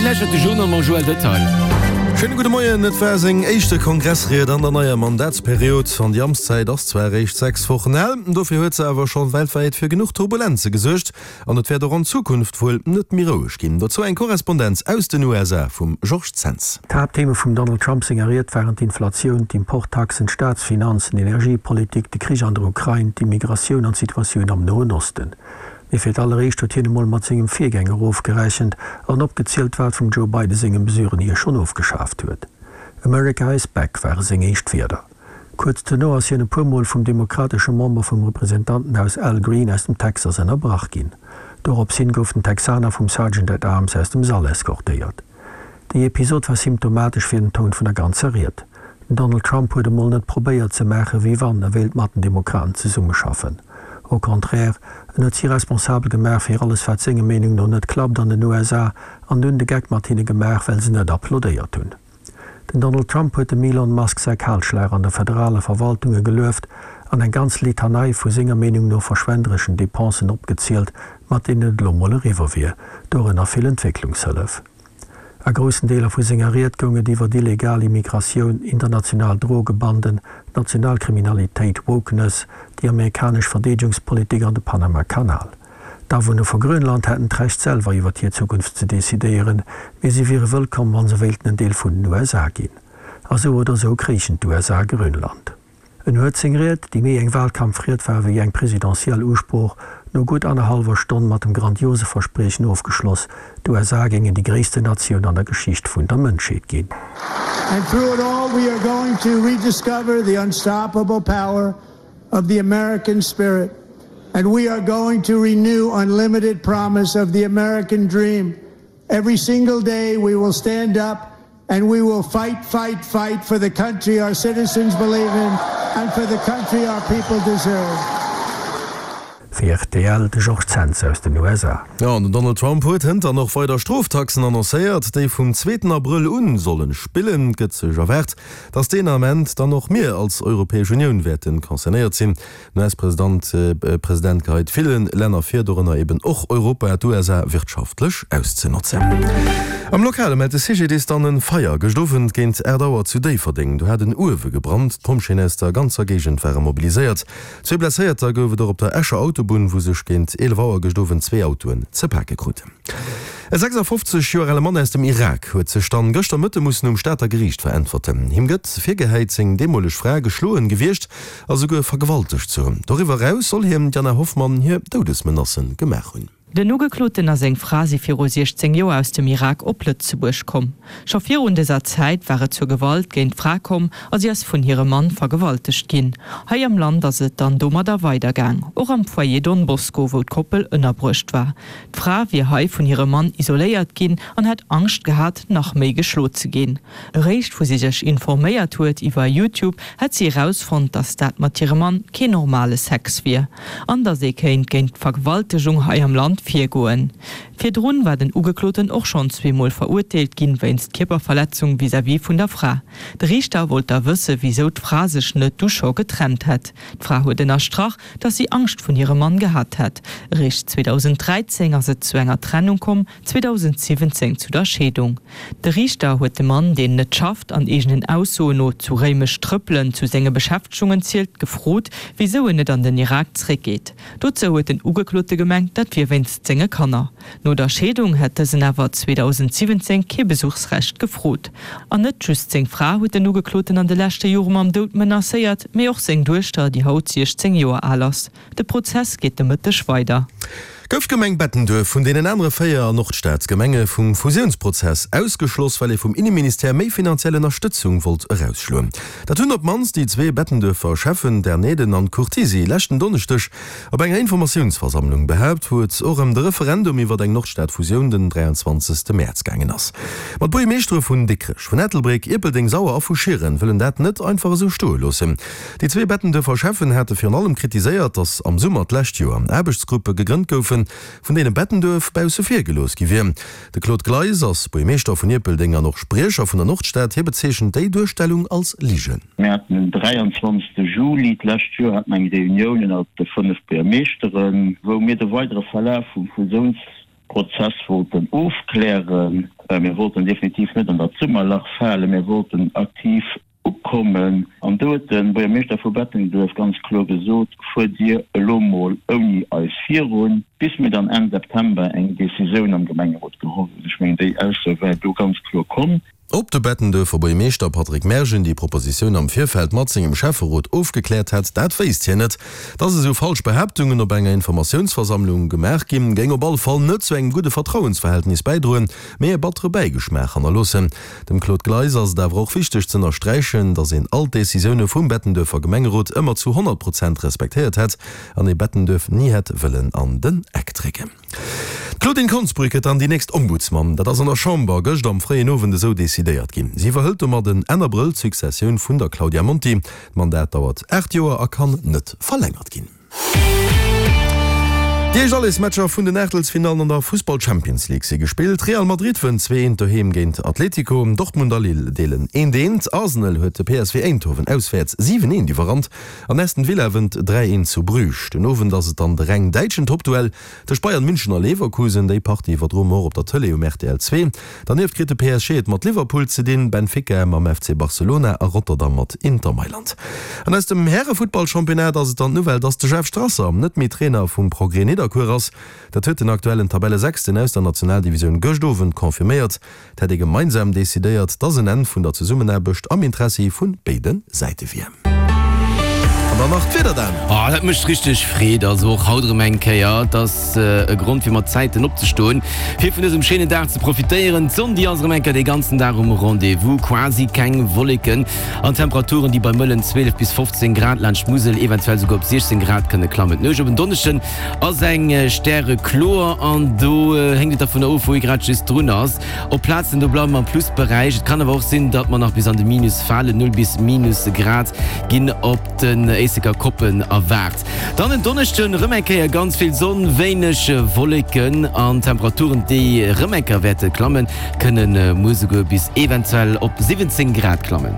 Dir lauschtert de Journal mam Joël Detail. Schéine gudde Moien. Et war seng éischte Kongressried an der neier Mandatsperiod. An déi Amtszäit ass zwar eréischt 6 Wochen al, dofir huet se awer scho weltwäit fir genuch Turbulenze gesuergt. An et wäert och an Zukunft wuel net méi roueg ginn. Dozou eng Korrespondenz aus den USA vum Georges Zens. D'Haapttheme vum Donald Trump senger Ried waren d'Inflatioun, d'Importtaxen, d'Staatsfinanzen, d'Energiepolitik, de Krich an der Ukrain, d'Immigratioun an d'Situatioun am Noen Osten. Mee fir d'alleréischt huet hien emol mat sengem Virgänger ofgerechent an opgezielt, wat vum Joe Biden senge Mesuren hie schonn ofgeschaaft huet. America is back ware seng éischt Wierder. Kuerz duerno ass hien e puer Mol vum demokratesche Member vum Representantenhaus Al Green aus dem Texas ënnerbrach ginn. Dorops hin gouf den Texaner vum Sergeant at Arms aus dem Sall eskortéiert. Déi Episod war symptomatesch fir den Toun vun der ganzer Ried. Den Donald Trump huet emol net probéiert ze maachen, wéi wann e wéilt mat den Demokraten zesummeschaffen. Au contraire, en huet si responsabel gemaach fir alles wat senger Meenung no net klappt an den USA an dunn de Geck mat hinne gemaach, well se net applaudéiert hunn. Den Donald Trump huet dem Elon Musk säi Kalschlag an der federale Verwaltunge gelueft an eng ganz Litanei vu senger Meenung no verschwendereschen Depensen opgezielt, mat deenen et elo mol eriwwer wier, dorënner vill Entwécklungshëllef. A groussen Deeler vu senger Ried goung et iwwer illegal Immigratioun, international Drogebanden, national Kriminalitéit, Wokeness, déi amerikanesch Verdeedegungspolitik an de Panama-Kanal. D'Awunner vu Grönland hätten d'Recht selwer iwwer hir Zukunft ze decidéieren, mee si wiere wëllkomm wa se wéilten en Deel vun den USA ginn. A sou oder sou kréichen d'USA Grönland. En huet seng Ried, déi méi eng Wahlkampfried war wéi eng presidentiell Usprooch, no gutt annerhallwer Stonn mat dem grandiose Verspriechen ofgeschloss, d'USA géingen déi gréissten Natioun an der Geschicht vun der Mënschheet ginn. And through it all we are going to rediscover the unstoppable power of the American spirit and we are going to renew unlimited promise of the American dream. Every single day we will stand up and we will fight, fight, fight for the country our citizens believe in and for the country our people deserve. Fir rtl, de Georges Zens aus den USA. Jo, an den Donald Trump huet hënt dann och weider Stroftaxen annoncéiert, déi vum zweeten Abrëll un sollen spillen. Et gëtt sech erwaart, dass deen Ament dann och mir als Europäesch Unioun wäerten concernéiert sinn. Den US-President President geheit ville Länner vir, dorënner eben och Europa, d'USA wirtschaftlech auszenotzen. Am Lokale mellt de CGDIS dann en Feier gëscht Owend géint 8 Auer zu Déifferdeng. Do hat en Uewe gebrannt. D'Pompjeeën aus der ganzer Géigend ware mobiliséiert. Zwee Blesséierter gouf et och op der Escher Autobunn, wou sech géint 11 Auer gëscht Owend zwee Autoen ze pake kruten. E 56 Joer ale Mann aus dem Irak huet sech dann gëschter Mëtte mussen um Stater Geriicht veräntwerten. Him gëtt virgehäit, seng deemoleg Fra geschloen gewiescht a souguer vergewaltegt ze hunn. Doriwwer eraus soll hien d'Jana Hoffmann hir Doudesmenacen gemaach hunn. Den Ugekloten a seng Fra si viru 16 Joer aus dem Irak op Lëtzebuerg komm. Scho virun dëser Zäit war et zur Gewalt géint d'Fra komm a si ass vun hirem Mann vergewaltegt ginn. Hei am Land ass et dann domadder weidergaang, och am Foyer Don Bosco, wou d'Koppel ënnerbruecht war. D'Fra wier hei vun hirem Mann isoléiert ginn an hätt Angscht gehat, nach méi geschlo ze ginn. Eréischt wou si sech informéiert huet iwwer Youtube, hätt si erausfonnt, dass dat mat hirem Mann keen normale Sex wier an dass ee kéint géint d'Vergewaltegung hei am Land virgoen. Virdrun war den Ugekloten och schonn zweemol verurteelt ginn wéinst Kierperverletzung vis-à-vis vun der Fra. De Riichter wollt da wësse wisou d'Fra sech net du scho getrennt hätt. D'Fra huet ënnerstrach, dass si Angscht vun hirem Mann gehat hätt. Eréischt 2013 ass et zu enger Trennung komm, 2017 zu der Scheedung. De Riichter huet de Mann, deen net schafft an eegenen Aussoen no zu Réimech Trëppelen zu senge Beschäftegungen zielt, gefrot, wisou en net an den Irak zréckgeet. Dozou huet den Ugeklote gemengt, dat wier wéinst senge Kanner. No der Scheedung hätt dësen awer 2017 kee Besuchsrecht gefrot. An net just seng Fra huet den Ugekloten an de leschte Jore mam Doud menacéiert, mee och seng Duechter, déi haut 16 Joer al ass. De Prozess geet de Mëtteg weider. Gouf d'Gemeng Bettenduerf vun deenen anere 4 Nordstad-Gemenge vum Fusiounsprozess ausgeschloss, well ee vum Inneministère méi finanziell Ënnerstëtzung wollt erausschloen. Dat hunn op d'mannst déi zwee Bettenduerfer Schäffen Derneden an Curtisi leschten Donneschdeg op enger Informatiounsversammlung behaapt, wou et och ëm de Referendum iwwer eng Nordstad-Fusioun den 23. Mäerz gaangen ass. Ma d'Buergermeeschtere vun Dikrech, vun Ettelbréck, Ierpeldeng, Sauer a vu Schieren wëllen dat net einfach esou stoe loossen. Déi zwee Bettenduerfer Schäffen hate virun allem kritiséiert, datt am Summer d'lescht Joer Aarbechtsgruppe gegrënnt goufen, vun deene Bettenduerf bausse vir gelooss gi wier. De Claude Gleis ass Buergermeeschter vun Ierpeldeng an och Spriecher vun der Nordstad. Hie bezeechent déi Duerstellung als Ligen. Mir haten den 23 Juli d'lescht Joer haten eng Reunioun ënnert de 5 Buergermeeschteren, wou mir de weidere Verlaf vum Fusiouns Prozess wollten ofklären. Mir wollten definitiv net an dat Summerlach falen, mir wollten aktiv ukommen. An do huet de Buergermeeschter vu Bettenduerf ganz kloer gesot, Fuert Dir elo mol ouni eis virun, bis mir dann Enn September eng Decisioun am Gemengerot geholl hunn. Ech mengen, déi Ausso war do ganz kloer komm. Ob de Bettenduerfer Buergermeeschter Patrick Mergen déi Propositioun am Virfeld mat sengem Schäfferot ofgekläert hätt, dat wéisst hien net. Dass esou falsch Behaaptungen op enger Informatiounsversammlung gemaach ginn, géing op alle Fall net zu engem gudde Vertrauensverhältnis bäidroen, mee e battere Bäigeschmaach hannerloossen. Dem Claude Gleis ass et awer och wichteg z'ënnersträichen, dass een all d'Decisioune vum Bettenduerfer Gemengerot ëmmer zu 100 Prozent respektéiert hätt an ee Bettenduerf ni hätt wëllen an den Eck drécken. D'Claudine Konsbrück gëtt dann déi nächst Ombudsman. Dat ass an der Chamber gëscht am fréien Owend esou decidéiert ginn. Si iwwerhëlt domat Enn Abrëll d'Successioun vun der Claudia Monti. D'Mandat dauert 8 Joer a kann net verlängert ginn. Déi éischt Allesmatcher vun den Aachtelsfinallen an der Fussball-Champions League si gespillt. Real Madrid wënnt 2, 1 doheem géint Atletico. Dortmund a Lille deelen 1, 1. Arsenal huet de PSV Eindhoven auswäerts 7, 1 iwwerrannt. An Aston Villa wënnt 3, 1 zu Bruges. Den Owend ass et dann de reng däitschen Toppduell tëscht Bayern München a Leverkusen. Déi Partie iwwerdroe mer och op der Tëlee um rtl 2. Dernieft kritt de PSG et mat Liverpool ze dinn, Benfica mam FC Barcelona a Rotterdam mat Inter Mailand. An aus dem Härefuttballchampionnat ass et dann d'Nouvelle, dass de Jeff Strasser net méi Trainer vum Progrès Nidderkuer ass. Dat huet den aktuellen Tabellesechsten aus der Nationaldivisioun gëscht Owend confirméiert. Et hätt ee gemeinsam decidéiert, dass en Enn vun der Zesummenaarbecht am Interessi vu béide Säite wier. An dann nach d'Wieder, Dan. Oh, dat mécht richteg Freed. Also och haut erëm eng Kéier. Et ass e Grond fir mat Zäiten opzestoen, fir vun dësem schéinen Dag ze profitéieren. D'Sonn, déi ass erëm eng Kéier dee ganzen Dag um Rendez-vous. Quasi keng Wolleken an Temperaturen, déi bei mëllen 12 bis 15 Grad laanscht d'Musel, eventuell souguer op 16 Grad kënne klammen. D'Nuecht op en Donneschden Ass eng Stärekloer an do héngt et dervun of, wou ee grad just drun ass. Op Plazen do bleiwe mer am Plusberäich. Et kann awer och sinn, datt mer nach bis an de Minus falen, 0 bis minus Grad ginn op den Éisleker Koppen erwaart. Dann en Donneschden erëm eng Kéier ganz vill Sonn, wéineg Wolleken an Temperaturen, déi erëm eng Kéier wäerte klammen, kënne muer souguer bis eventuell op 17 Grad klammen.